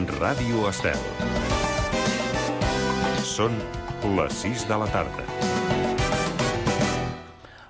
Ràdio Estel. Són les 6 de la tarda.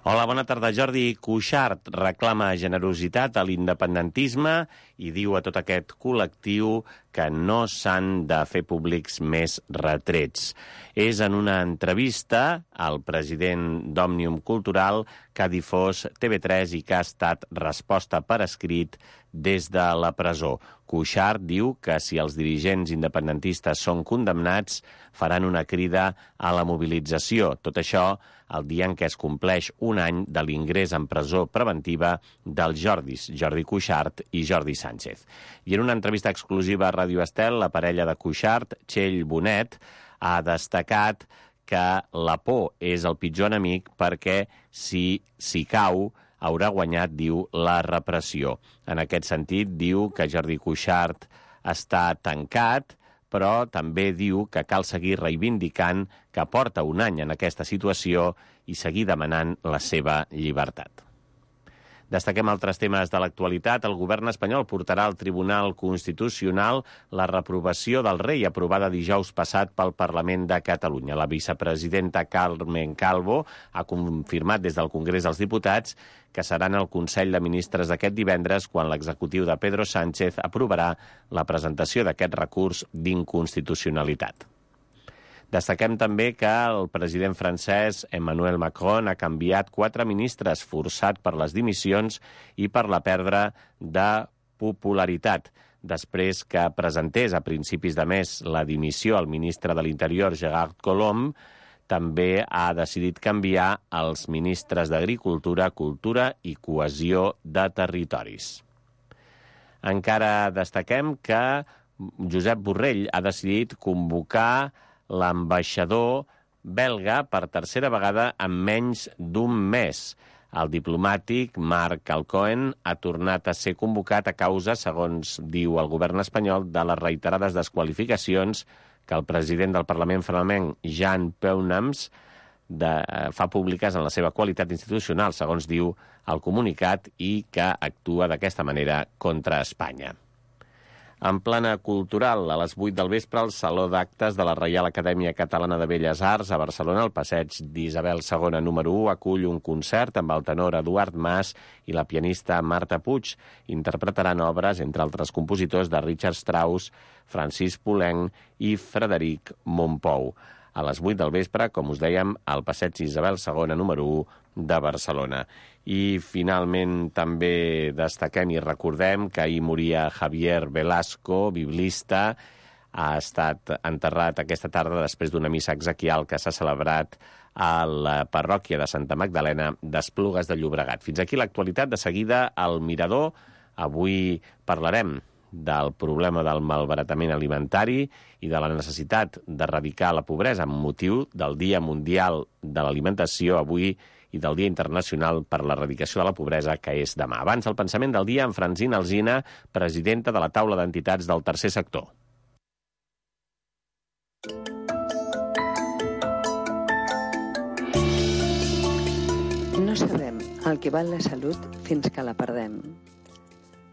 Hola, bona tarda. Jordi Cuixart reclama generositat a l'independentisme i diu a tot aquest col·lectiu que no s'han de fer públics més retrets. És en una entrevista al president d'Òmnium Cultural que ha difós TV3 i que ha estat resposta per escrit des de la presó. Cuixart diu que si els dirigents independentistes són condemnats, faran una crida a la mobilització. Tot això el dia en què es compleix un any de l'ingrés en presó preventiva dels Jordis, Jordi Cuixart i Jordi Sánchez. I en una entrevista exclusiva a Ràdio Estel, la parella de Cuixart, Txell Bonet, ha destacat que la por és el pitjor enemic perquè si cau haurà guanyat, diu, la repressió. En aquest sentit, diu que Jordi Cuixart està tancat, però també diu que cal seguir reivindicant que porta un any en aquesta situació i seguir demanant la seva llibertat. Destaquem altres temes de l'actualitat. El govern espanyol portarà al Tribunal Constitucional la reprovació del rei aprovada dijous passat pel Parlament de Catalunya. La vicepresidenta Carmen Calvo ha confirmat des del Congrés dels Diputats que seran el Consell de Ministres d'aquest divendres quan l'executiu de Pedro Sánchez aprovarà la presentació d'aquest recurs d'inconstitucionalitat. Destaquem també que el president francès Emmanuel Macron ha canviat 4 ministres, forçat per les dimissions i per la pèrdua de popularitat. Després que presentés a principis de mes la dimissió al ministre de l'Interior, Gérard Collomb, també ha decidit canviar els ministres d'Agricultura, Cultura i Cohesió de Territoris. Encara destaquem que Josep Borrell ha decidit convocar l'ambaixador belga per tercera vegada en menys d'un mes. El diplomàtic Marc Alcoen ha tornat a ser convocat a causa, segons diu el govern espanyol, de les reiterades desqualificacions que el president del Parlament flamenc, Jean Peunams, fa públiques en la seva qualitat institucional, segons diu el comunicat, i que actua d'aquesta manera contra Espanya. En plana cultural, a les 8 del vespre, el Saló d'Actes de la Reial Acadèmia Catalana de Belles Arts a Barcelona, al passeig d'Isabel II número 1, acull un concert amb el tenor Eduard Mas i la pianista Marta Puig. Interpretaran obres, entre altres compositors, de Richard Strauss, Francis Poulenc i Frederic Mompou. A les 8 del vespre, com us dèiem, al passeig Isabel II número 1 de Barcelona. I finalment també destaquem i recordem que ahir moria Javier Velasco, biblista. Ha estat enterrat aquesta tarda després d'una missa exequial que s'ha celebrat a la parròquia de Santa Magdalena d'Esplugues de Llobregat. Fins aquí l'actualitat. De seguida, al Mirador. Avui parlarem del problema del malbaratament alimentari i de la necessitat d'erradicar la pobresa amb motiu del Dia Mundial de l'Alimentació avui i del Dia Internacional per l'Erradicació de la Pobresa, que és demà. Abans, el pensament del dia amb Francina Alsina, presidenta de la taula d'entitats del tercer sector. No sabem el que val la salut fins que la perdem.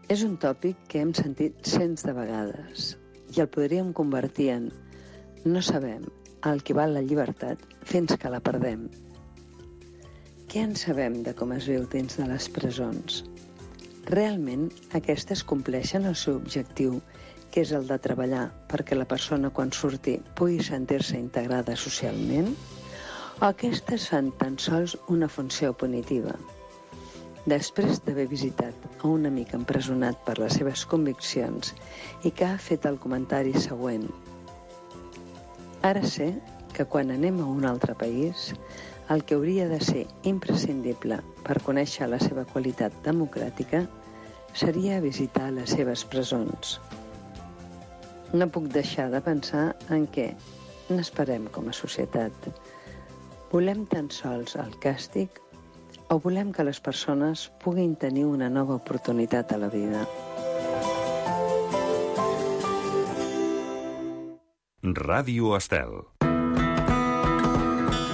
És un tòpic que hem sentit cents de vegades i el podríem convertir en no sabem el que val la llibertat fins que la perdem. Què en sabem de com es viu dins de les presons? Realment, aquestes compleixen el seu objectiu, que és el de treballar perquè la persona quan surti pugui sentir-se integrada socialment? O aquestes fan tan sols una funció punitiva? Després d'haver visitat a un amic empresonat per les seves conviccions i que ha fet el comentari següent: ara sé que quan anem a un altre país, el que hauria de ser imprescindible per conèixer la seva qualitat democràtica seria visitar les seves presons. No puc deixar de pensar en què n'esperem com a societat. Volem tan sols el càstig o volem que les persones puguin tenir una nova oportunitat a la vida? Ràdio Estel.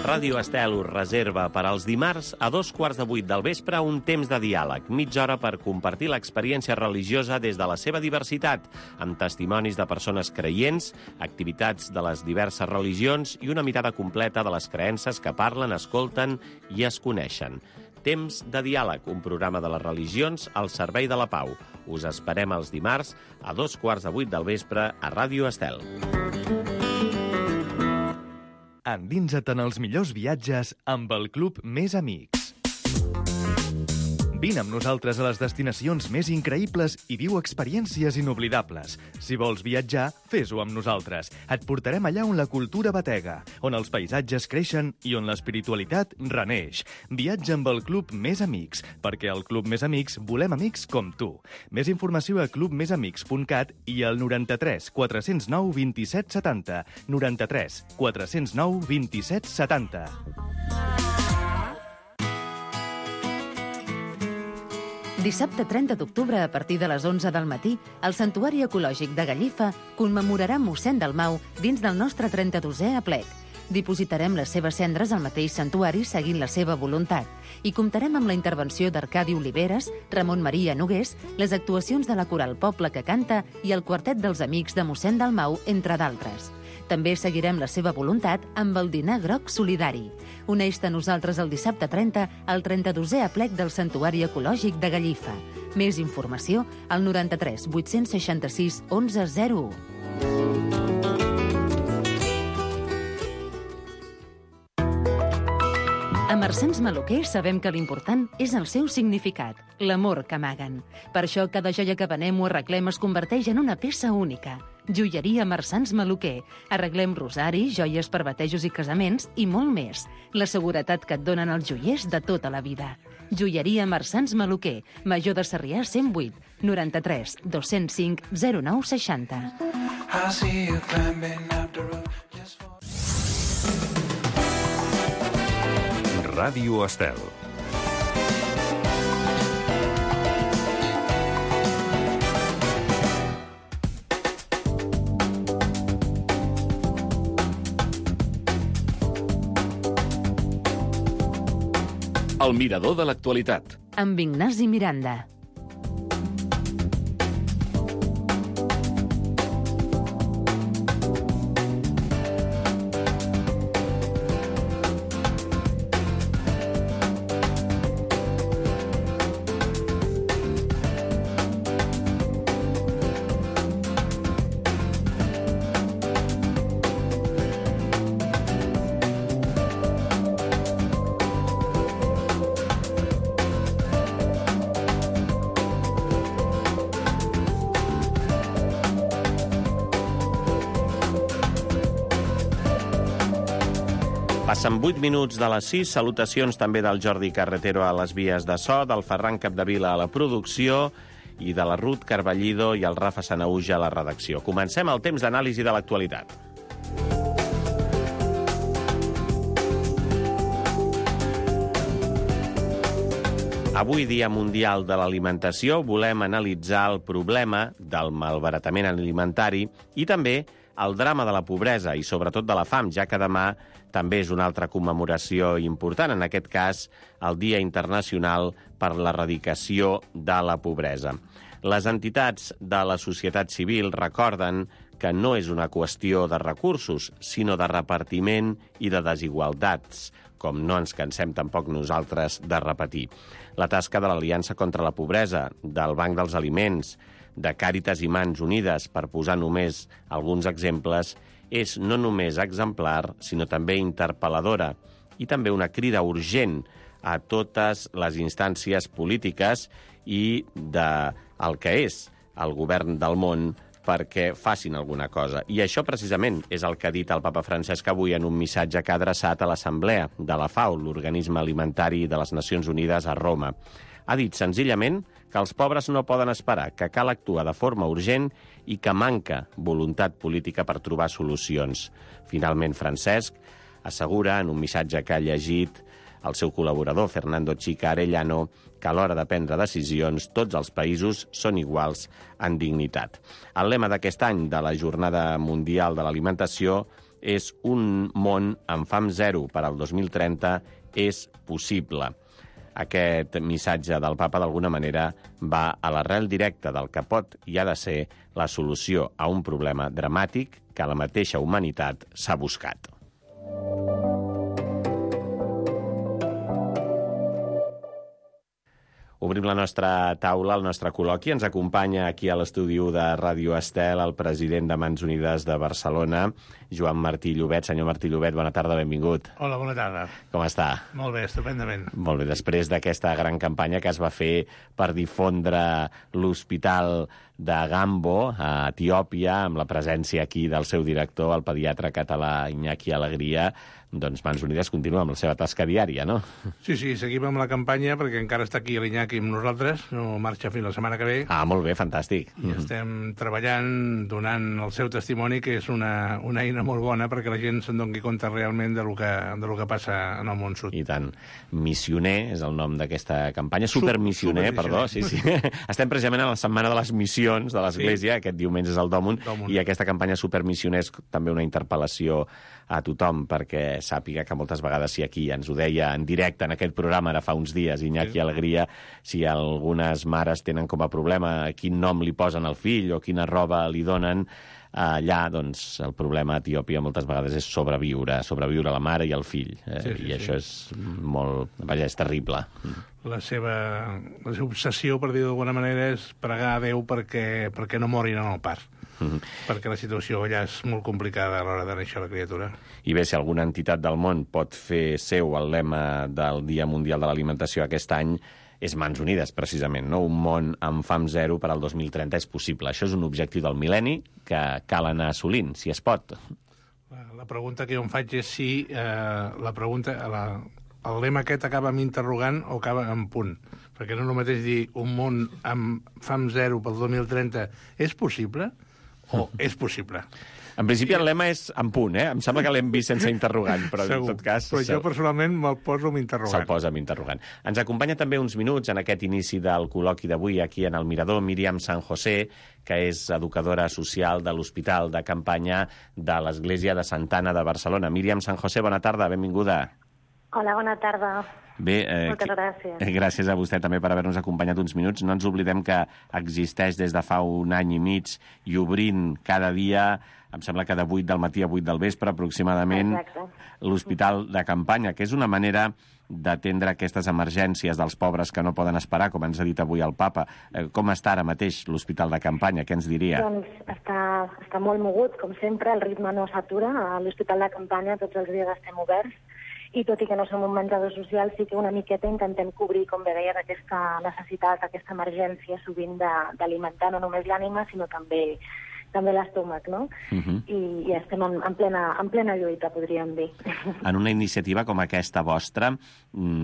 Ràdio Estel us reserva per als dimarts a 7:45 del vespre un temps de diàleg, mitja hora per compartir l'experiència religiosa des de la seva diversitat, amb testimonis de persones creients, activitats de les diverses religions i una mirada completa de les creences que parlen, escolten i es coneixen. Temps de diàleg, un programa de les religions al servei de la pau. Us esperem els dimarts a 7:45 del vespre a Ràdio Estel. Endinsa't en els millors viatges amb el Club Més Amics. Vine amb nosaltres a les destinacions més increïbles i viu experiències inoblidables. Si vols viatjar, fes-ho amb nosaltres. Et portarem allà on la cultura batega, on els paisatges creixen i on l'espiritualitat reneix. Viatja amb el Club Més Amics, perquè al Club Més Amics volem amics com tu. Més informació a clubmesamics.cat i al 93 409 27 70. 93 409 27 70. Dissabte 30 d'octubre, a partir de les 11 del matí, el Santuari Ecològic de Gallifa commemorarà mossèn Dalmau dins del nostre 32è aplec. Dipositarem les seves cendres al mateix santuari seguint la seva voluntat i comptarem amb la intervenció d'Arcadi Oliveres, Ramon Maria Nogués, les actuacions de la Coral Poble que canta i el quartet dels amics de mossèn Dalmau, entre d'altres. També seguirem la seva voluntat amb el dinar groc solidari. Uneix-te a nosaltres el dissabte 30 al 32è aplec del Santuari Ecològic de Gallifa. Més informació al 93 866 1101. A Marsans Maluquer sabem que l'important és el seu significat, l'amor que amaguen. Per això cada joia que venem o arreglem es converteix en una peça única. Joieria Marsans Maluquer. Arreglem rosaris, joies per batejos i casaments i molt més. La seguretat que et donen els joiers de tota la vida. Joieria Marsans Maluquer. Major de Sarrià 108 93 205 0960. Ràdio Estel. El mirador de l'actualitat. Amb Ignasi Miranda. Passen 8 minuts de les 6. Salutacions també del Jordi Carretero a les vies de so, del Ferran Capdevila a la producció i de la Ruth Carballido i el Rafa Sanauja a la redacció. Comencem el temps d'anàlisi de l'actualitat. Avui, Dia Mundial de l'Alimentació, volem analitzar el problema del malbaratament alimentari i també el drama de la pobresa i sobretot de la fam, ja que demà també és una altra commemoració important, en aquest cas el Dia Internacional per l'Erradicació de la Pobresa. Les entitats de la societat civil recorden que no és una qüestió de recursos, sinó de repartiment i de desigualtats, com no ens cansem tampoc nosaltres de repetir. La tasca de l'Aliança contra la Pobresa, del Banc dels Aliments, de Càritas i Mans Unides, per posar només alguns exemples, és no només exemplar, sinó també interpel·ladora i també una crida urgent a totes les instàncies polítiques i del que és el govern del món perquè facin alguna cosa. I això precisament és el que ha dit el papa Francesc avui en un missatge que ha adreçat a l'Assemblea de la FAO, l'Organisme Alimentari de les Nacions Unides a Roma. Ha dit senzillament que els pobres no poden esperar, que cal actuar de forma urgent i que manca voluntat política per trobar solucions. Finalment, Francesc assegura en un missatge que ha llegit el seu col·laborador, Fernando Chica Arellano, que a l'hora de prendre decisions tots els països són iguals en dignitat. El lema d'aquest any de la Jornada Mundial de l'Alimentació és un món amb fam zero per al 2030 és possible. Aquest missatge del papa, d'alguna manera, va a l'arrel directa del que pot i ha de ser la solució a un problema dramàtic que la mateixa humanitat s'ha buscat. Obrim la nostra taula, el nostre col·loqui. Ens acompanya aquí a l'estudi de Ràdio Estel el president de Mans Unides de Barcelona, Joan Martí Llobet. Senyor Martí Llobet, bona tarda, benvingut. Hola, bona tarda. Com està? Molt bé, estupendament. Molt bé, després d'aquesta gran campanya que es va fer per difondre l'hospital de Gambo, a Etiòpia, amb la presència aquí del seu director, el pediatre català Iñaki Alegria, doncs Mans Unides continua amb la seva tasca diària, no? Sí, seguim amb la campanya, perquè encara està aquí l'Iñaki amb nosaltres, no marxa fins la setmana que ve. Ah, molt bé, fantàstic. I estem treballant, donant el seu testimoni, que és una eina molt bona perquè la gent se'n doni compte realment de lo que passa en el món sud. I tant. Missioner és el nom d'aquesta campanya. Supermissioner, perdó. Sí. Estem precisament a la setmana de les missions de l'Església, aquest diumenge és el Dòmun, i aquesta campanya Supermissioner és també una interpel·lació a tothom, perquè sàpiga que moltes vegades, si aquí ens ho deia en directe en aquest programa ara fa uns dies, Iñaki Alegria, si algunes mares tenen com a problema quin nom li posen al fill o quina roba li donen, allà, doncs, el problema a Etiòpia moltes vegades és sobreviure la mare i el fill. I això és molt... Vaja, és terrible. La seva obsessió, per dir d'alguna manera, és pregar a Déu perquè no morin en el part. Perquè la situació allà és molt complicada a l'hora de néixer la criatura. I bé, si alguna entitat del món pot fer seu el lema del Dia Mundial de l'Alimentació aquest any, és Mans Unides, precisament, no? Un món amb fam zero per al 2030 és possible. Això és un objectiu del mil·lenni que cal anar assolint, si es pot. La pregunta que jo em faig és si el lema aquest acaba amb interrogant o acaba amb punt. Perquè no és el mateix dir un món amb fam zero pel 2030 és possible o és possible. En principi el lema és en punt, Em sembla que l'hem vist sense interrogant, però segur. En tot cas... Però jo personalment me'l poso amb interrogant. Se'l posa amb interrogant. Ens acompanya també uns minuts en aquest inici del col·loqui d'avui aquí en el Mirador, Míriam San José, que és educadora social de l'Hospital de Campanya de l'Església de Santa Anna de Barcelona. Míriam San José, bona tarda, benvinguda. Hola, bona tarda. Bé, moltes gràcies. Gràcies a vostè també per haver-nos acompanyat uns minuts. No ens oblidem que existeix des de fa un any i mig i obrint cada dia, em sembla que de 8 del matí a 8 del vespre aproximadament, l'Hospital de Campanya, que és una manera d'atendre aquestes emergències dels pobres que no poden esperar, com ens ha dit avui el papa. Com està ara mateix l'Hospital de Campanya? Què ens diria? Doncs està molt mogut, com sempre, el ritme no s'atura. A l'Hospital de Campanya tots els dies estem oberts, i tot i que no som un menjador social, sí que una miqueta intentem cobrir, com bé deies, aquesta necessitat, aquesta emergència sovint d'alimentar no només l'ànima, sinó també l'estómac, no? I estem en plena lluita, podríem dir. En una iniciativa com aquesta vostra,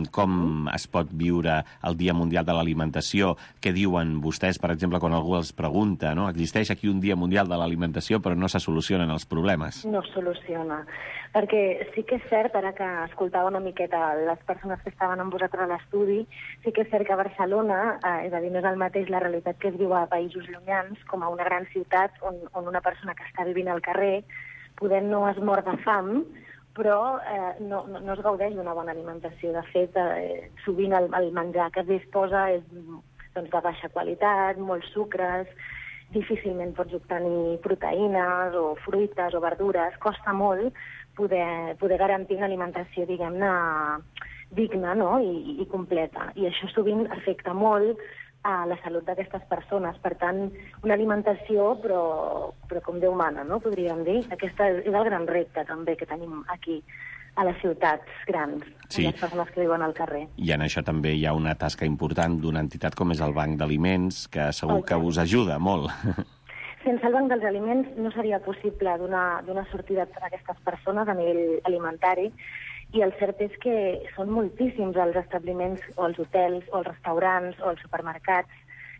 com es pot viure el Dia Mundial de l'Alimentació? Què diuen vostès, per exemple, quan algú els pregunta, no? Existeix aquí un Dia Mundial de l'Alimentació, però no se solucionen els problemes. No es soluciona. Perquè sí que és cert, ara que escoltava una miqueta les persones que estaven amb vosaltres a l'estudi, sí que és cert que a Barcelona, és a dir, no és el mateix la realitat que es viu a països llunyans, com a una gran ciutat on una persona que està vivint al carrer poder no es mor de fam, però no es gaudeix d'una bona alimentació. De fet, sovint el menjar que es disposa és de baixa qualitat, molts sucres, difícilment pots obtenir proteïnes o fruites o verdures, costa molt poder garantir una alimentació, diguem-ne, digna, no? I completa. I això sovint afecta molt a la salut d'aquestes persones. Per tant, una alimentació, però com Déu mana, no? Podríem dir. Aquest és el gran repte, també, que tenim aquí a les ciutats grans, sí. A les persones que viuen al carrer. I en això també hi ha una tasca important d'una entitat com és el Banc d'Aliments, que segur que us ajuda molt. Sense el Banc dels Aliments no seria possible donar sortida a aquestes persones a nivell alimentari, i el cert és que són moltíssims els establiments, o els hotels, o els restaurants, o els supermercats,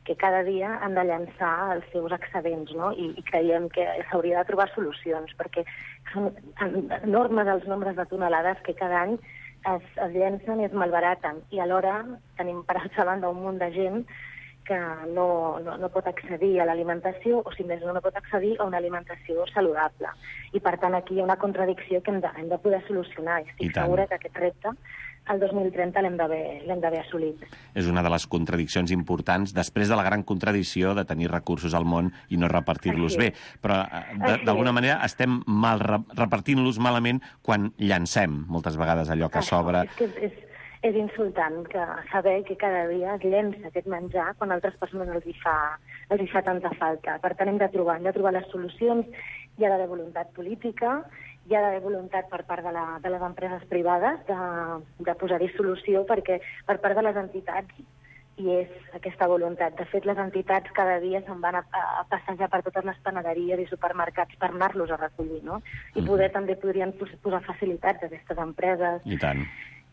que cada dia han de llançar els seus excedents, no? I creiem que s'hauria de trobar solucions, perquè són enormes els nombres de tonelades que cada any es llencen i es malbaraten, i alhora tenim per altra banda un munt de gent que no pot accedir a l'alimentació, o si més no pot accedir a una alimentació saludable. I per tant aquí hi ha una contradicció que hem de poder solucionar. Estic segura que aquest repte el 2030 l'hem d'haver assolit. És una de les contradiccions importants després de la gran contradicció de tenir recursos al món i no repartir-los bé. Però d'alguna manera estem repartint-los malament quan llancem moltes vegades allò que sobra. És insultant saber que cada dia es llença aquest menjar quan a altres persones els hi fa tanta falta. Per tant, hem de trobar les solucions. Hi ha d'haver voluntat política, hi ha d'haver voluntat per part de les empreses privades de posar-hi solució, perquè per part de les entitats hi és aquesta voluntat. De fet, les entitats cada dia se'n van a passejar per totes les panaderies i supermercats per anar-los a recollir, no? I també podrien posar facilitats a aquestes empreses. I tant.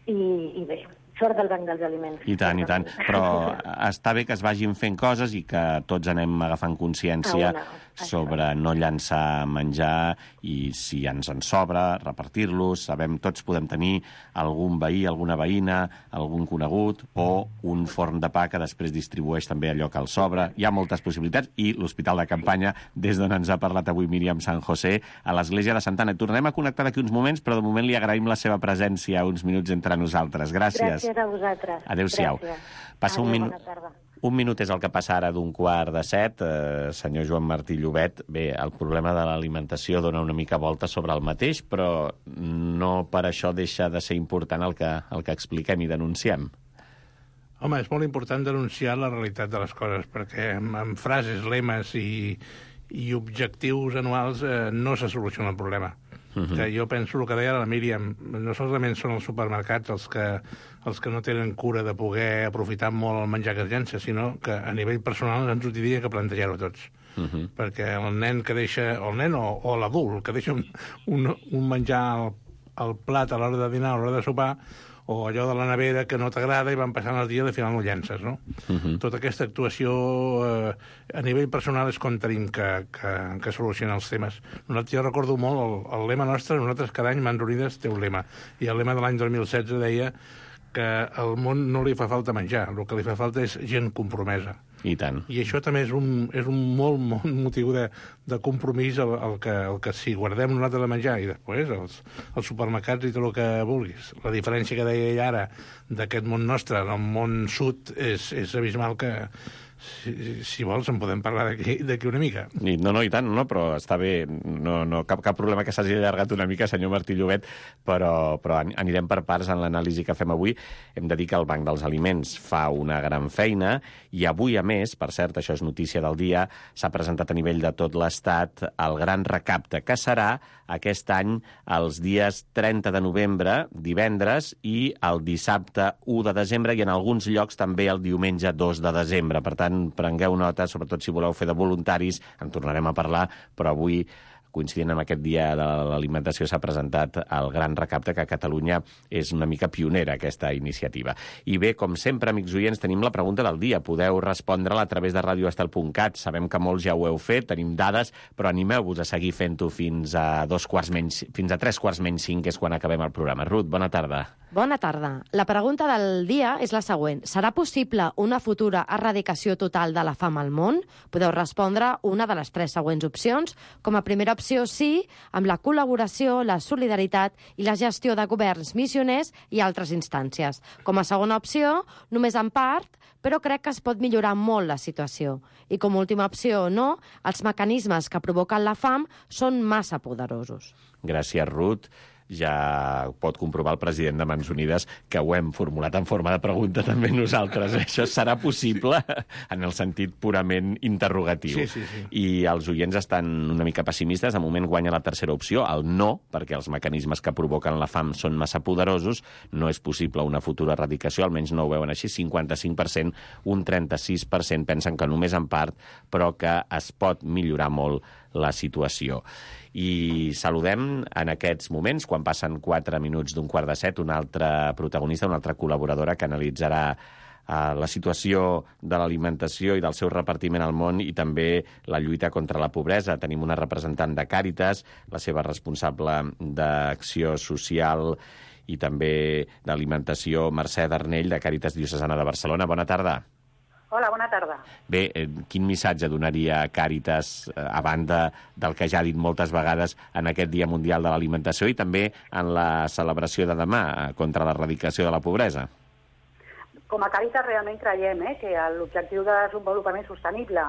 I bé, sort del Banc dels Aliments. I tant. Però està bé que es vagin fent coses i que tots anem agafant consciència sobre no llançar menjar i si ens en sobra, repartir-los. Tots podem tenir algun veí, alguna veïna, algun conegut o un forn de pa que després distribueix també allò que els sobra. Hi ha moltes possibilitats i l'Hospital de Campanya, des d'on ens ha parlat avui Míriam San José, a l'Església de Santa Anna. Tornem a connectar d'aquí uns moments, però de moment li agraïm la seva presència uns minuts entre nosaltres. Gràcies. Gràcies a vosaltres. Adéu-siau. Passa un minut. Un minut és el que passa ara d'6:45. Senyor Joan Martí Llobet, bé, el problema de l'alimentació dona una mica volta sobre el mateix, però no per això deixa de ser important el que expliquem i denunciem. Home, és molt important denunciar la realitat de les coses, perquè amb frases, lemes i objectius anuals no se soluciona el problema. Que jo penso el que deia la Míriam, no solament són els supermercats els que no tenen cura de poder aprofitar molt el menjar que es llença, sinó que a nivell personal ens ho hauria que plantejar-ho tots. Perquè el nen que deixa, o el nen o l'adult, que deixa un menjar al plat a l'hora de dinar, a l'hora de sopar, o allò de la nevera que no t'agrada i van passant el dia i al final no llences, no? Tota aquesta actuació a nivell personal és com tenim que solucionar els temes. Jo recordo molt el lema nostre, nosaltres cada any Mans Unides té un lema, i el lema de l'any 2016 deia que al món no li fa falta menjar, el que li fa falta és gent compromesa. I tant. I això també és un molt motiu de compromís el que si guardem nosaltres de menjar i després els supermercats i tot el que vulguis. La diferència que deia ell ara d'aquest món nostre, el món sud, és abismal que si vols en podem parlar d'aquí una mica. No, i tant, però està bé. No, cap problema que s'hagi allargat una mica, senyor Martí Llobet, però anirem per parts en l'anàlisi que fem avui. Hem de dir que el Banc dels Aliments fa una gran feina i avui, a més, per cert, això és notícia del dia, s'ha presentat a nivell de tot l'Estat el gran recapte, que serà aquest any els dies 30 de novembre, divendres, i el dissabte 1 de desembre, i en alguns llocs també el diumenge 2 de desembre. Per tant, prengueu nota, sobretot si voleu fer de voluntaris, en tornarem a parlar, però avui, coincidint amb aquest dia de l'alimentació, s'ha presentat el gran recapte, que a Catalunya és una mica pionera, aquesta iniciativa. I bé, com sempre, amics oients, tenim la pregunta del dia. Podeu respondre-la a través de radioestel.cat. Sabem que molts ja ho heu fet, tenim dades, però animeu-vos a seguir fent-ho fins a 5:03, que és quan acabem el programa. Ruth, bona tarda. Bona tarda. La pregunta del dia és la següent. Serà possible una futura erradicació total de la fam al món? Podeu respondre una de les 3 següents opcions. Com a primera opció, sí, amb la col·laboració, la solidaritat i la gestió de governs missioners i altres instàncies. Com a segona opció, només en part, però crec que es pot millorar molt la situació. I com a última opció, no, els mecanismes que provoquen la fam són massa poderosos. Gràcies, Ruth. Ja pot comprovar el president de Mans Unides que ho hem formulat en forma de pregunta també nosaltres. Això serà possible en el sentit purament interrogatiu. Sí. I els oients estan una mica pessimistes. De moment guanya la tercera opció, el no, perquè els mecanismes que provoquen la fam són massa poderosos. No és possible una futura erradicació, almenys no ho veuen així. 55%, un 36% pensen que només en part, però que es pot millorar molt la situació. I saludem en aquests moments, quan passen 4 minuts d'6:15, una altra protagonista, una altra col·laboradora que analitzarà la situació de l'alimentació i del seu repartiment al món i també la lluita contra la pobresa. Tenim una representant de Càritas, la seva responsable d'acció social i també d'alimentació, Mercè Darnell, de Càritas Diocesana de Barcelona. Bona tarda. Hola, bona tarda. Bé, quin missatge donaria Càritas, a banda del que ja ha dit moltes vegades en aquest Dia Mundial de l'Alimentació i també en la celebració de demà contra l'erradicació de la pobresa? Com a Càritas realment creiem que l'objectiu de desenvolupament sostenible,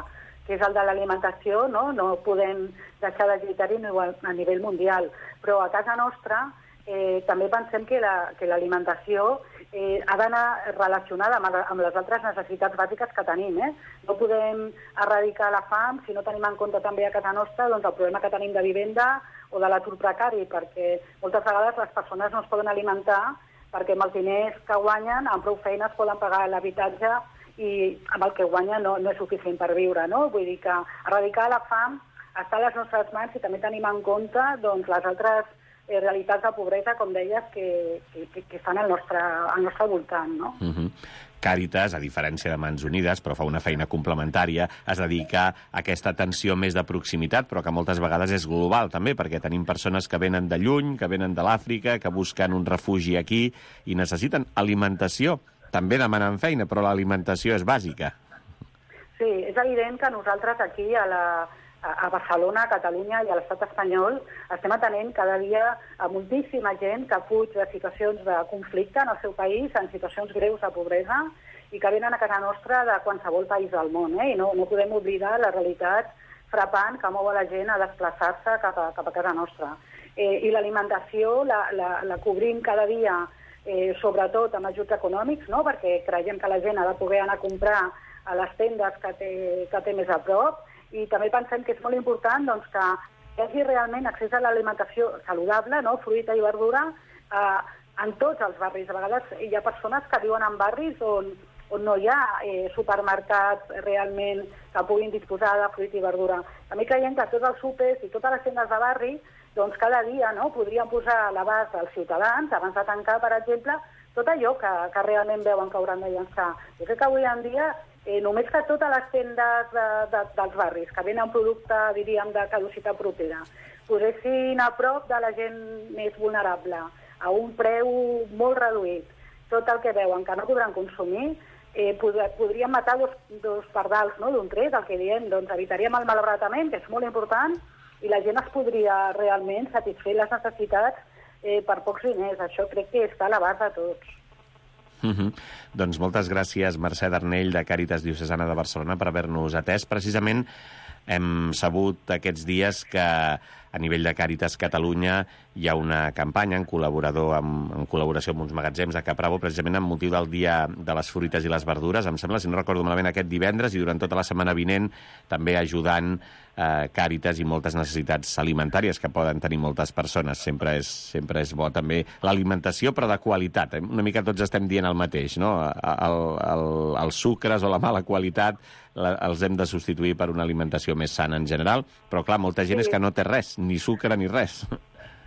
que és el de l'alimentació, no podem deixar de lluitar-hi a nivell mundial. Però a casa nostra també pensem que l'alimentació ha d'anar relacionada amb les altres necessitats bàsiques que tenim. No podem erradicar la fam si no tenim en compte també a casa nostra el problema que tenim de vivenda o de l'atur precari, perquè moltes vegades les persones no es poden alimentar perquè amb els diners que guanyen, amb prou feines poden pagar l'habitatge i amb el que guanya no és suficient per viure. Vull dir que erradicar la fam està a les nostres mans i també tenim en compte les altres realitats de pobresa, com deies, que estan al nostre voltant. Càritas, a diferència de Mans Unides, però fa una feina complementària, es dedica a aquesta atenció més de proximitat, però que moltes vegades és global també, perquè tenim persones que venen de lluny, que venen de l'Àfrica, que busquen un refugi aquí i necessiten alimentació. També demanen feina, però l'alimentació és bàsica. Sí, és evident que nosaltres aquí a Barcelona, a Catalunya i a l'estat espanyol estem atenent cada dia a moltíssima gent que fuig de situacions de conflicte en el seu país, en situacions greus de pobresa, i que venen a casa nostra de qualsevol país del món. I no podem oblidar la realitat frapant que mou a la gent a desplaçar-se cap a casa nostra. I l'alimentació la cobrim cada dia, sobretot amb ajuts econòmics, perquè creiem que la gent ha de poder anar a comprar a les tendes que té més a prop, i també pensem que és molt important que hi hagi realment accés a l'alimentació saludable, fruita i verdura, en tots els barris. A vegades hi ha persones que viuen en barris on no hi ha supermercats realment que puguin disposar de fruita i verdura. També creiem que tots els súpers i totes les tendes de barri cada dia podrien posar a l'abast dels ciutadans, abans de tancar, per exemple, tot allò que realment veuen que hauran de llançar. Jo crec que avui en dia només que totes les tendes dels barris que venen producte, diríem, de caducitat propera, posessin a prop de la gent més vulnerable, a un preu molt reduït, tot el que veuen que no podran consumir, podríem matar dos pardals d'un tret, el que diem, evitaríem el malbaratament, que és molt important, i la gent es podria realment satisfer les necessitats per pocs diners. Això crec que està a l'abast de tots. Doncs moltes gràcies, Mercè Darnell, de Càritas Diocesana de Barcelona, per haver-nos atès. Precisament hem sabut aquests dies que a nivell de Càritas Catalunya hi ha una campanya en col·laboració amb uns magatzems de Caprabo, precisament amb motiu del Dia de les Fruites i les Verdures, em sembla, si no recordo malament, aquest divendres, i durant tota la setmana vinent també ajudant Càritas i moltes necessitats alimentàries que poden tenir moltes persones. Sempre és bo també l'alimentació, però de qualitat. Una mica tots estem dient el mateix, no? Els sucres o la mala qualitat els hem de substituir per una alimentació més sana en general, però clar, molta gent és que no té res, ni sucre ni res.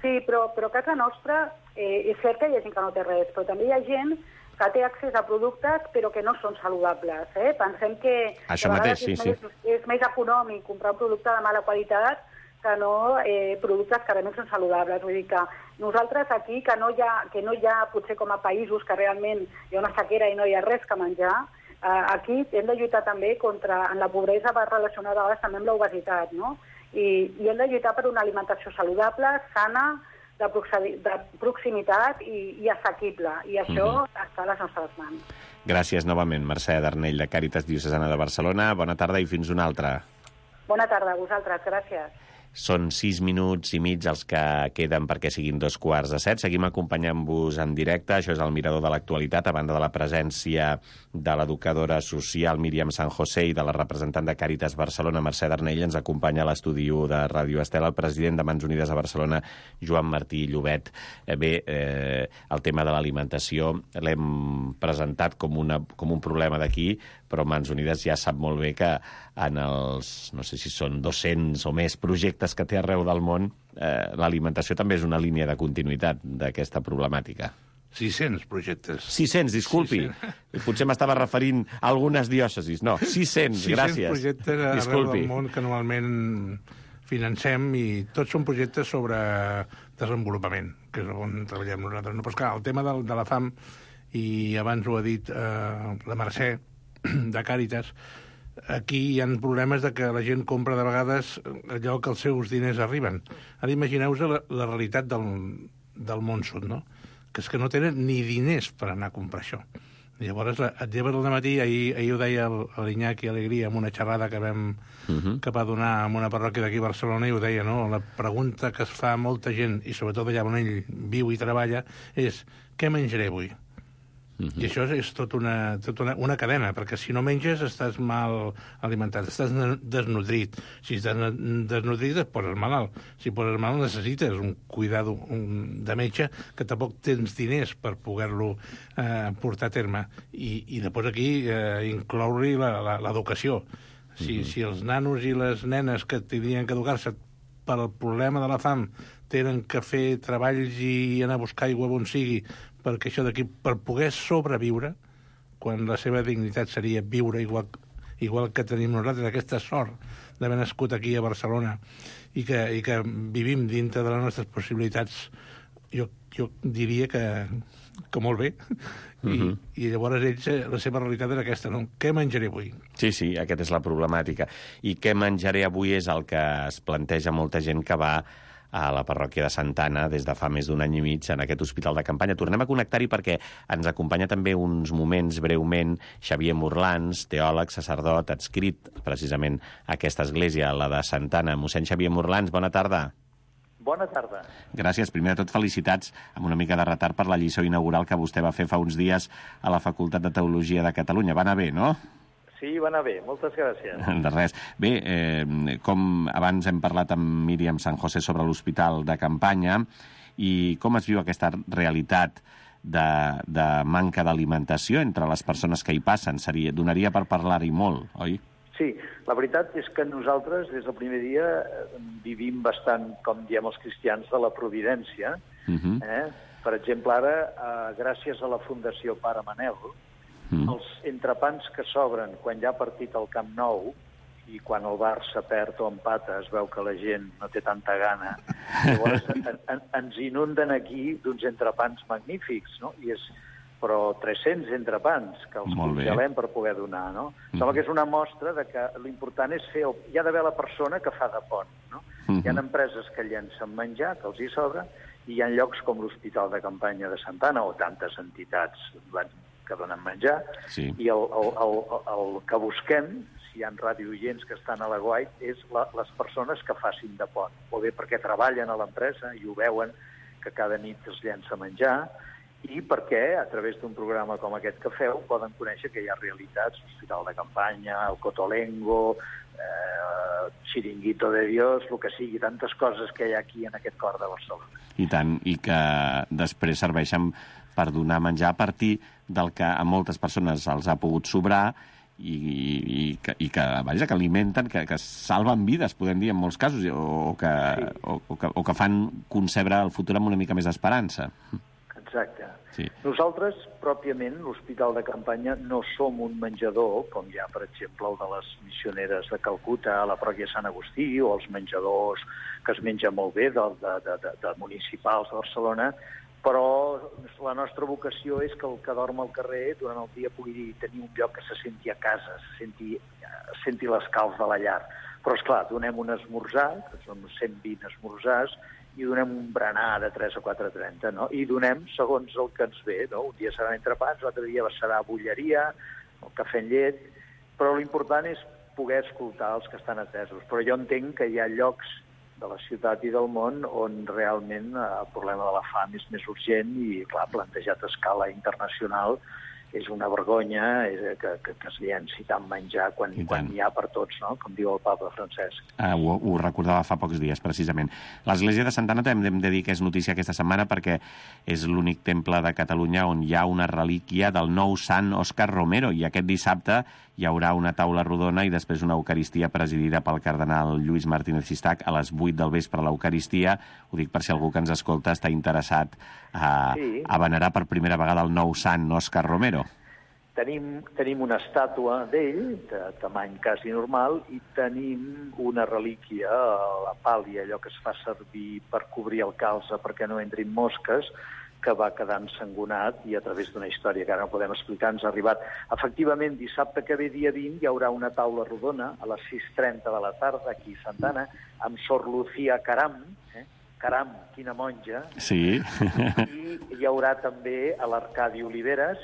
Sí, però a casa nostra és cert que hi ha gent que no té res, però també hi ha gent que té accés a productes però que no són saludables. Pensem que això mateix, sí. És més econòmic comprar un producte de mala qualitat que no productes que realment són saludables. Vull dir que nosaltres aquí, que no hi ha potser com a països que realment hi ha una sequera i no hi ha res que menjar, aquí hem de lluitar també en la pobresa va relacionada a vegades també amb l'obesitat, no? I hem de lluitar per una alimentació saludable, sana, de proximitat i assequible. I això està a les nostres mans. Gràcies novament, Mercè Darnell, de Càritas Diocesana de Barcelona. Bona tarda i fins una altra. Bona tarda a vosaltres, gràcies. Són 6 minuts i mig els que queden perquè siguin 6:45. Seguim acompanyant-vos en directe. Això és el Mirador de l'Actualitat, a banda de la presència de l'educadora social Míriam San José i de la representant de Càritas Barcelona, Mercè Darnell. Ens acompanya a l'estudi de Ràdio Estel el president de Mans Unides a Barcelona, Joan Martí Llobet. El tema de l'alimentació l'hem presentat com un problema d'aquí, però Mans Unides ja sap molt bé que en els, no sé si són 200 o més projectes que té arreu del món, l'alimentació també és una línia de continuïtat d'aquesta problemàtica. 600 projectes. 600, disculpi. 600. Potser m'estava referint a algunes diòcesis. No, 600, gràcies. 600 projectes arreu del món que normalment financem i tots són projectes sobre desenvolupament, que és on treballem nosaltres. No, però esclar, el tema de la fam, i abans ho ha dit la Mercè, de Càritas, aquí hi ha problemes de que la gent compra de vegades allò que els seus diners arriben. Ara imagineu-vos la realitat del món sud, no? Que és que no tenen ni diners per anar a comprar això. Llavors, et lleves al matí, ahir ho deia l'Iñaki Alegria en una xerrada que va donar en una parròquia d'aquí a Barcelona, i ho deia, no? La pregunta que es fa a molta gent, i sobretot allà on ell viu i treballa, és què menjaré avui? I això és tot una cadena, perquè si no menges estàs mal alimentat, estàs desnodrit. Si estàs desnodrit et poses malalt. Si poses malalt necessites un cuidado de metge que tampoc tens diners per poder-lo portar a terme. I després aquí incloure-hi l'educació. Si els nanos i les nenes que tindrien que educar-se pel problema de la fam tenen que fer treballs i anar a buscar aigua on sigui, perquè això d'aquí, per poder sobreviure, quan la seva dignitat seria viure igual que tenim nosaltres, aquesta sort d'haver nascut aquí a Barcelona i que vivim dintre de les nostres possibilitats, jo diria que molt bé. I llavors ells, la seva realitat era aquesta, no? Què menjaré avui? Sí, aquesta és la problemàtica. I què menjaré avui és el que es planteja molta gent que va a la parròquia de Santa Anna des de fa més d'un any i mig en aquest hospital de campanya. Tornem a connectar-hi perquè ens acompanya també uns moments breument Xavier Morlans, teòleg, sacerdot, adscrit precisament a aquesta església, la de Santa Anna. Mossèn Xavier Morlans, bona tarda. Bona tarda. Gràcies. Primer de tot, felicitats, amb una mica de retard per la lliçó inaugural que vostè va fer fa uns dies a la Facultat de Teologia de Catalunya. Va anar bé, no? Sí, va anar bé. Moltes gràcies. De res. Bé, com abans hem parlat amb Míriam San José sobre l'hospital de campanya, i com es viu aquesta realitat de manca d'alimentació entre les persones que hi passen? Donaria per parlar-hi molt, oi? Sí, la veritat és que nosaltres, des del primer dia, vivim bastant, com diem els cristians, de la providència. Per exemple, ara, gràcies a la Fundació Pare Manel, els entrepans que s'obren quan ja ha partit el Camp Nou i quan el Barça perd o empata es veu que la gent no té tanta gana, llavors ens inunden aquí d'uns entrepans magnífics, no? Però 300 entrepans que els congelem per poder donar, no? Sembla que és una mostra de que l'important és fer... Hi ha d'haver la persona que fa de pont, no? Hi ha empreses que llencen menjar, que els hi sobra, i hi ha llocs com l'Hospital de Campanya de Santa Anna o tantes entitats que donen menjar, i el que busquem, si hi ha radiooients que estan a la Guait, és les persones que facin de pont, o bé perquè treballen a l'empresa i ho veuen que cada nit es llença menjar, i perquè, a través d'un programa com aquest que feu, poden conèixer que hi ha realitats, l'Hospital de Campanya, el Cotolengo, Chiringuito de Dios, el que sigui, tantes coses que hi ha aquí en aquest cor de Barcelona. I tant, i que després serveixen per donar menjar a partir del que a moltes persones els ha pogut sobrar i que alimenten, que salven vides, podem dir, en molts casos, o que fan concebre el futur amb una mica més d'esperança. Exacte. Sí. Nosaltres, pròpiament, l'Hospital de Campanya, no som un menjador, com hi ha, per exemple, el de les missioneres de Calcuta, a la parròquia Sant Agustí, o els menjadors que es menja molt bé de municipals de Barcelona, però la nostra vocació és que el que dorm al carrer durant el dia pugui tenir un lloc que se senti a casa, senti l'escalf de la llar. Però, esclar, donem un esmorzar, que són 120 esmorzars, i donem un berenar de 3 a 4:30, no? I donem segons el que ens ve, no? Un dia seran entrepans, l'altre dia serà bulleria, el cafè amb llet, però l'important és poder escoltar els que estan atesos. Però jo entenc que hi ha llocs de la ciutat i del món on realment el problema de la fam és més urgent i, clar, plantejat a escala internacional és una vergonya que es llenci tant menjar quan hi ha per tots, no? Com diu el papa Francesc. Ho recordava fa pocs dies, precisament. L'Església de Santa Anna també hem de dir que és notícia aquesta setmana perquè és l'únic temple de Catalunya on hi ha una relíquia del nou sant Òscar Romero, i aquest dissabte hi haurà una taula rodona i després una eucaristia presidida pel cardenal Lluís Martínez Sistac a les 8 del vespre. L'eucaristia, ho dic per si algú que ens escolta està interessat a venerar per primera vegada el nou sant Òscar Romero. Tenim una estàtua d'ell, de tamany quasi normal, i tenim una relíquia, la pàlia, allò que es fa servir per cobrir el calze perquè no entrin mosques, que va quedar ensangonat i a través d'una història que ara no podem explicar ens ha arribat. Efectivament, dissabte que ve, dia 20, hi haurà una taula rodona a les 6:30 de la tarda aquí a Santa Anna amb Sor Lucía Caram, Caram, quina monja. Sí. I hi haurà també l'Arcadi Oliveres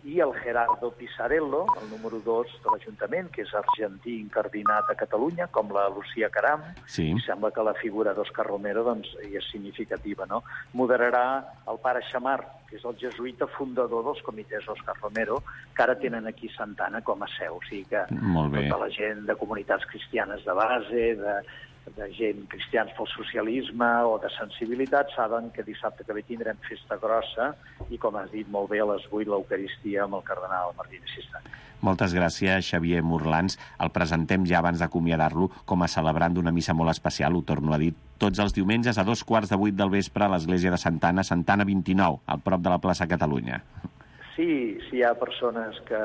i el Gerardo Pisarello, el número 2 de l'Ajuntament, que és argentí incardinat a Catalunya, com la Lucía Caram. Sí. I sembla que la figura d'Òscar Romero doncs, hi és significativa, no? Moderarà el pare Xamar, que és el jesuïta fundador dels comitès Òscar Romero, que ara tenen aquí Santa Anna com a seu. O sigui que tota la gent de comunitats cristianes de base, de gent cristians pel socialisme o de sensibilitat, saben que dissabte que ve tindrem festa grossa i, com has dit molt bé, a les 8 l'Eucaristia amb el cardenal Martínez Cistany. Moltes gràcies, Xavier Morlans. El presentem ja abans d'acomiadar-lo com a celebrant d'una missa molt especial, ho torno a dir, tots els diumenges a 7:15 del vespre a l'església de Santa Anna, Santa Anna 29, al prop de la plaça Catalunya. Sí, si hi ha persones que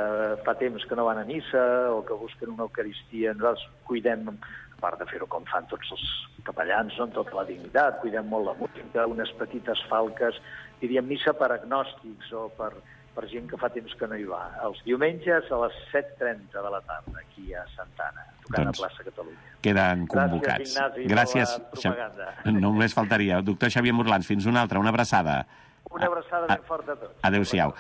fa temps que no van a missa o que busquen una Eucaristia, nosaltres cuidem, a part de fer-ho com fan tots els capellans, no? Amb tota la dignitat, cuidem molt la música, unes petites falques, diríem missa per agnòstics o per gent que fa temps que no hi va. Els diumenges a les 7:30 de la tarda, aquí a Santa Anna, tocant a plaça Catalunya. Queden convocats. Gràcies, Ignasi, per la propaganda. Només faltaria. Doctor Xavier Morlans, fins una altra, una abraçada. Una abraçada ben forta a tots. Adéu-siau.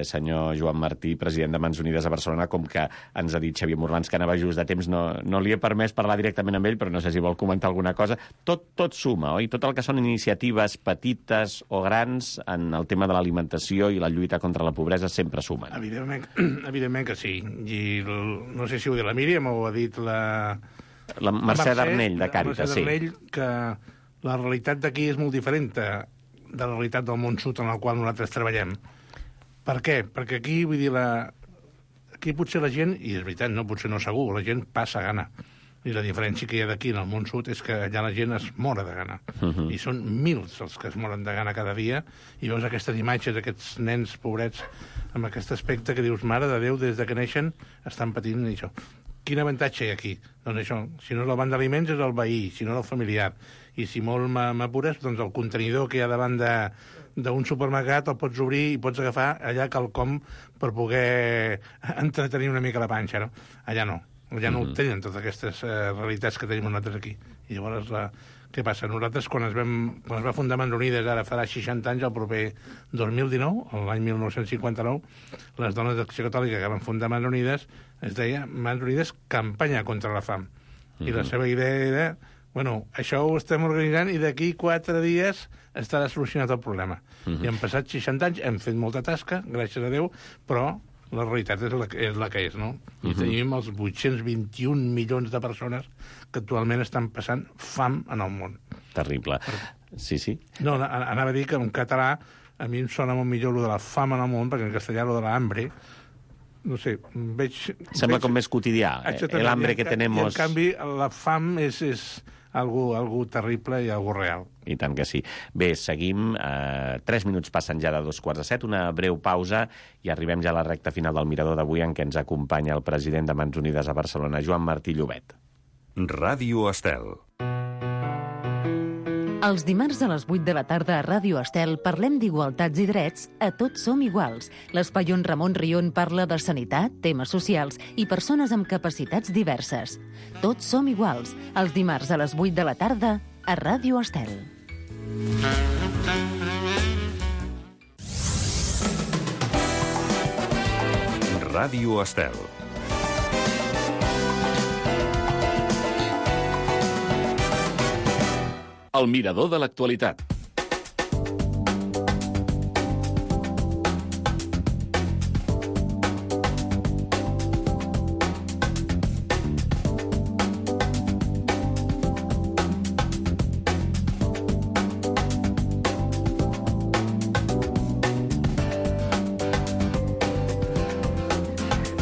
Senyor Joan Martí, president de Mans Unides a Barcelona, com que ens ha dit Xavier Morlans que anava just de temps, no li he permès parlar directament amb ell, però no sé si vol comentar alguna cosa. Tot suma, oi? Tot el que són iniciatives petites o grans en el tema de l'alimentació i la lluita contra la pobresa sempre sumen. Evidentment que sí. I no sé si ho ha dit la Míriam o ho ha dit la Mercè Darnell, de Càritas, sí. La Mercè Darnell, que la realitat d'aquí és molt diferent de la realitat del món sud en el qual nosaltres treballem. Per què? Perquè aquí, vull dir, aquí potser la gent, i és veritat, no, potser no segur, la gent passa gana. I la diferència que hi ha d'aquí en el món sud és que allà la gent es mora de gana. I són mils els que es moren de gana cada dia, i veus aquestes imatges d'aquests nens pobrets amb aquest aspecte que dius, mare de Déu, des de que neixen estan patint això. Quin avantatge hi ha aquí? Doncs això, si no és el banc d'aliments és el veí, si no és el familiar. I si molt m'apures, doncs el contenidor que hi ha davant d'un supermercat el pots obrir i pots agafar allà quelcom per poder entretenir una mica la panxa, no? Allà no. Allà no tenen totes aquestes realitats que tenim nosaltres aquí. I llavors, què passa? Nosaltres, quan es va fundar Mans Unides, ara farà 60 anys, el proper 2019, l'any 1959, les dones d'Acció Catòlica que van fundar Mans Unides, es deia Mans Unides Campanya contra la Fam. I la seva idea era, bueno, això ho estem organitzant i d'aquí 4 dies estarà solucionat el problema. I han passat 60 anys, hem fet molta tasca, gràcies a Déu, però la realitat és la que és, no? I tenim els 821 milions de persones que actualment estan passant fam en el món. Terrible. Sí. No, anava a dir que en català a mi em sona molt millor lo de la fam en el món, perquè en castellà lo de la hambre, no sé, Sembla com més quotidià, el hambre que tenemos. I en canvi la fam és algo terrible i algo real. I tant que sí. Bé, seguim. 3 minuts passen ja de 2:15, una breu pausa i arribem ja a la recta final del Mirador d'avui en què ens acompanya el president de Mans Unides a Barcelona, Joan Martí Llobet. Ràdio Estel. Els dimarts a les 8 de la tarda a Ràdio Estel parlem d'igualtats i drets a Tots som iguals. L'espai on Ramon Rion parla de sanitat, temes socials i persones amb capacitats diverses. Tots som iguals, els dimarts a les 8 de la tarda a Ràdio Estel. Ràdio Estel. El mirador de l'actualitat.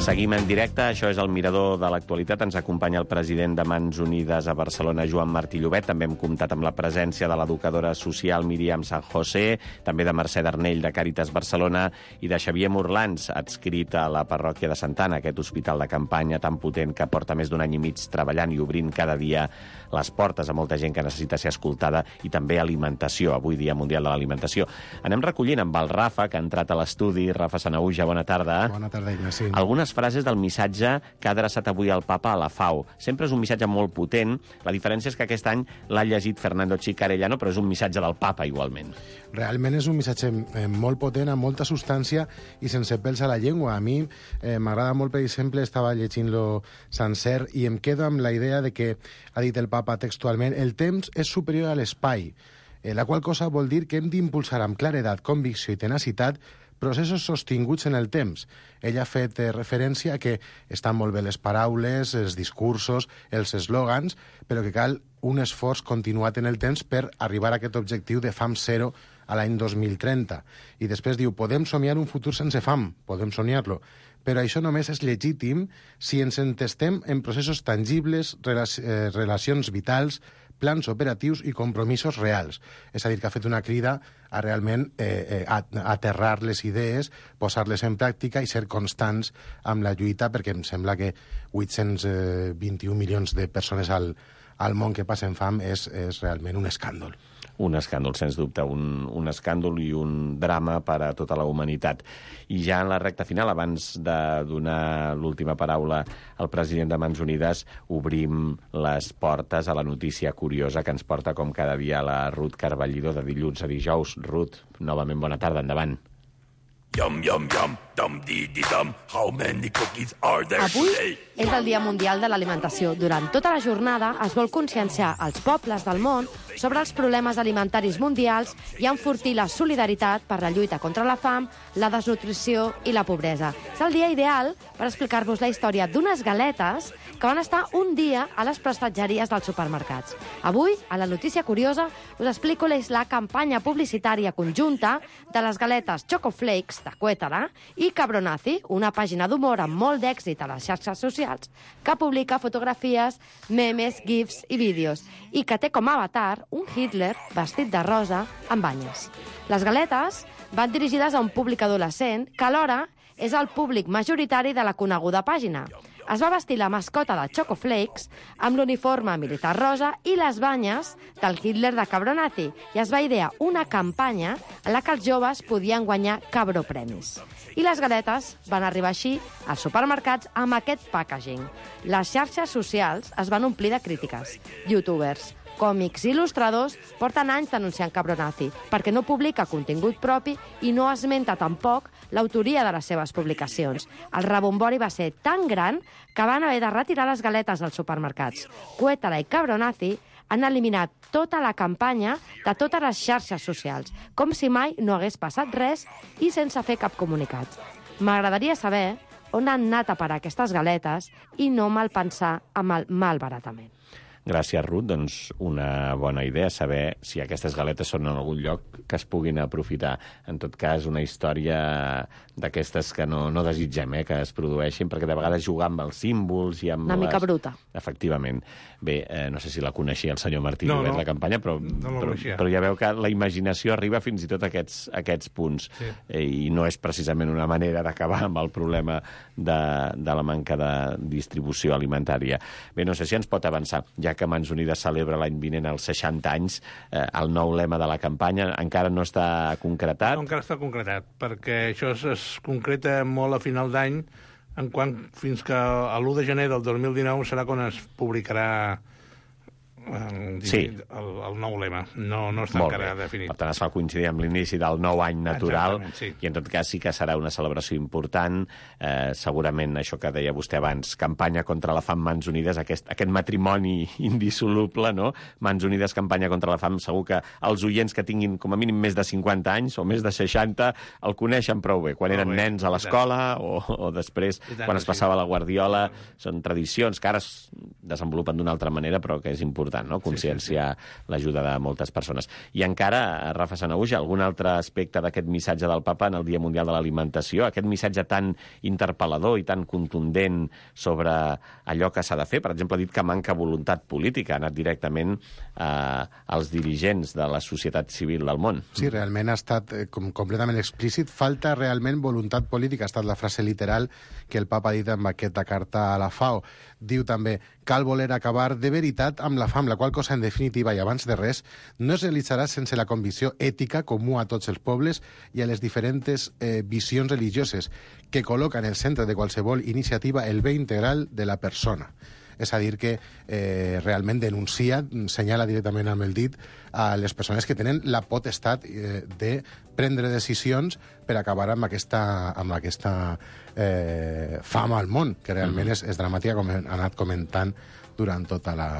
Seguim en directe, això és el Mirador de l'Actualitat. Ens acompanya el president de Mans Unides a Barcelona, Joan Martí Llobet. També hem comptat amb la presència de l'educadora social Míriam San José, també de Mercè Darnell, de Càritas Barcelona, i de Xavier Morlans, adscrit a la parròquia de Santana, aquest hospital de campanya tan potent que porta més d'un any i mig treballant i obrint cada dia les portes a molta gent que necessita ser escoltada, i també alimentació, avui Dia Mundial de l'Alimentació. Anem recollint amb el Rafa, que ha entrat a l'estudi. Rafa Sanahuja, bona tarda. Bona tarda, Ignasi. Algunes frases del missatge que ha adreçat avui el papa a la FAO. Sempre és un missatge molt potent. La diferència és que aquest any l'ha llegit Fernando Chicarellano, però és un missatge del papa igualment. Realment és un missatge molt potent, amb molta substància i sense pèls a la llengua. A mi m'agrada molt, per exemple, estava llegint-lo sencer i em quedo amb la idea de que, ha dit el papa textualment, el temps és superior a l'espai, la qual cosa vol dir que hem d'impulsar amb claredat, convicció i tenacitat processos sostinguts en el temps. Ell ha fet referència a que estan molt bé les paraules, els discursos, els eslògans, però que cal un esforç continuat en el temps per arribar a aquest objectiu de fam zero a l'any 2030. I després diu, podem somiar un futur sense fam, podem somiar-lo, però això només és legítim si ens entestem en processos tangibles, relacions vitals, plans operatius i compromisos reals. És a dir, que ha fet una crida a realment aterrar les idees, posar-les en pràctica i ser constants amb la lluita, perquè em sembla que 821 milions de persones al món que passen fam és realment un escàndol. Un escàndol, sens dubte, un escàndol i un drama per a tota la humanitat. I ja en la recta final, abans de donar l'última paraula al president de Mans Unides, obrim les portes a la notícia curiosa que ens porta com cada dia la Ruth Carballido de dilluns a dijous. Ruth, novament bona tarda, endavant. Yum, yum, yum, dum-dee-dee-dum, how many cookies are there Avui today? és el Dia Mundial de l'Alimentació. Durant tota la jornada es vol conscienciar els pobles del món sobre els problemes alimentaris mundials i enfortir la solidaritat per la lluita contra la fam, la desnutrició i la pobresa. És el dia ideal per explicar-vos la història d'unes galetes que van estar un dia a les prestatgeries dels supermercats. Avui, a la notícia curiosa, us explico la campanya publicitària conjunta de les galetes Choco Flakes de Cuétara i Cabronazi, una pàgina d'humor amb molt d'èxit a les xarxes socials que publica fotografies, memes, gifs i vídeos i que té com a avatar un Hitler vestit de rosa amb banyes. Les galetes van dirigides a un públic adolescent que alhora és el públic majoritari de la coneguda pàgina. Es va vestir la mascota de Choco Flakes amb l'uniforme militar rosa i les banyes del Hitler de Cabronazi i es va idear una campanya en la que els joves podien guanyar cabropremis. I les galetes van arribar així als supermercats amb aquest packaging. Les xarxes socials es van omplir de crítiques. Youtubers, còmics i il·lustradors porten anys denunciant Cabronazi perquè no publica contingut propi i no esmenta tampoc l'autoria de les seves publicacions. El rebombori va ser tan gran que van haver de retirar les galetes dels supermercats. Cuétara i Cabronazi han eliminat tota la campanya de totes les xarxes socials, com si mai no hagués passat res i sense fer cap comunicat. M'agradaria saber on han anat a parar aquestes galetes i no malpensar amb el malbaratament. Gràcies, Ruth. Doncs una bona idea saber si aquestes galetes són en algun lloc que es puguin aprofitar. En tot cas, una història d'aquestes que no desitgem que es produeixin, perquè de vegades jugar amb els símbols i amb una mica bruta. Efectivament. Bé, no sé si la coneixia el senyor Martí Llobet, la campanya, però ja veu que la imaginació arriba fins i tot a aquests punts. Sí. I no és precisament una manera d'acabar amb el problema de la manca de distribució alimentària. Bé, no sé si ens pot avançar, ja que Mans Unides celebra l'any vinent els 60 anys, el nou lema de la campanya encara no està concretat? No, encara està concretat, perquè això es concreta molt a final d'any, en quant fins que l'1 de gener del 2019 serà quan es publicarà el nou lema. No està encara definit. Per tant, es fa coincidir amb l'inici del nou any natural. Sí. I en tot cas sí que serà una celebració important. Segurament això que deia vostè abans, campanya contra la fam Mans Unides, aquest matrimoni indissoluble, no? Mans Unides, campanya contra la fam. Segur que els oients que tinguin com a mínim més de 50 anys o més de 60 el coneixen prou bé. Quan eren nens a l'escola o després, quan es passava la guardiola. Són tradicions que ara es desenvolupen d'una altra manera, però que és important important, no? Conscienciar l'ajuda de moltes persones. I encara, Rafa Sanahuja, algun altre aspecte d'aquest missatge del papa en el Dia Mundial de l'Alimentació, aquest missatge tan interpel·lador i tan contundent sobre allò que s'ha de fer? Per exemple, ha dit que manca voluntat política, ha anat directament als dirigents de la societat civil del món. Sí, realment ha estat completament explícit. Falta realment voluntat política, ha estat la frase literal que el papa ha dit amb aquesta carta a la FAO. Diu també, cal voler acabar de veritat amb la fam, la qual cosa, en definitiva, i abans de res, no es realitzarà sense la convicció ètica comú a tots els pobles i a les diferents visions religioses que col·loca en el centre de qualsevol iniciativa el bé integral de la persona. És a dir, que realment denuncia, senyala directament amb el dit a les persones que tenen la potestat de prendre decisions per acabar amb aquesta fam al món, que realment és dramàtica, com he anat comentant durant tota la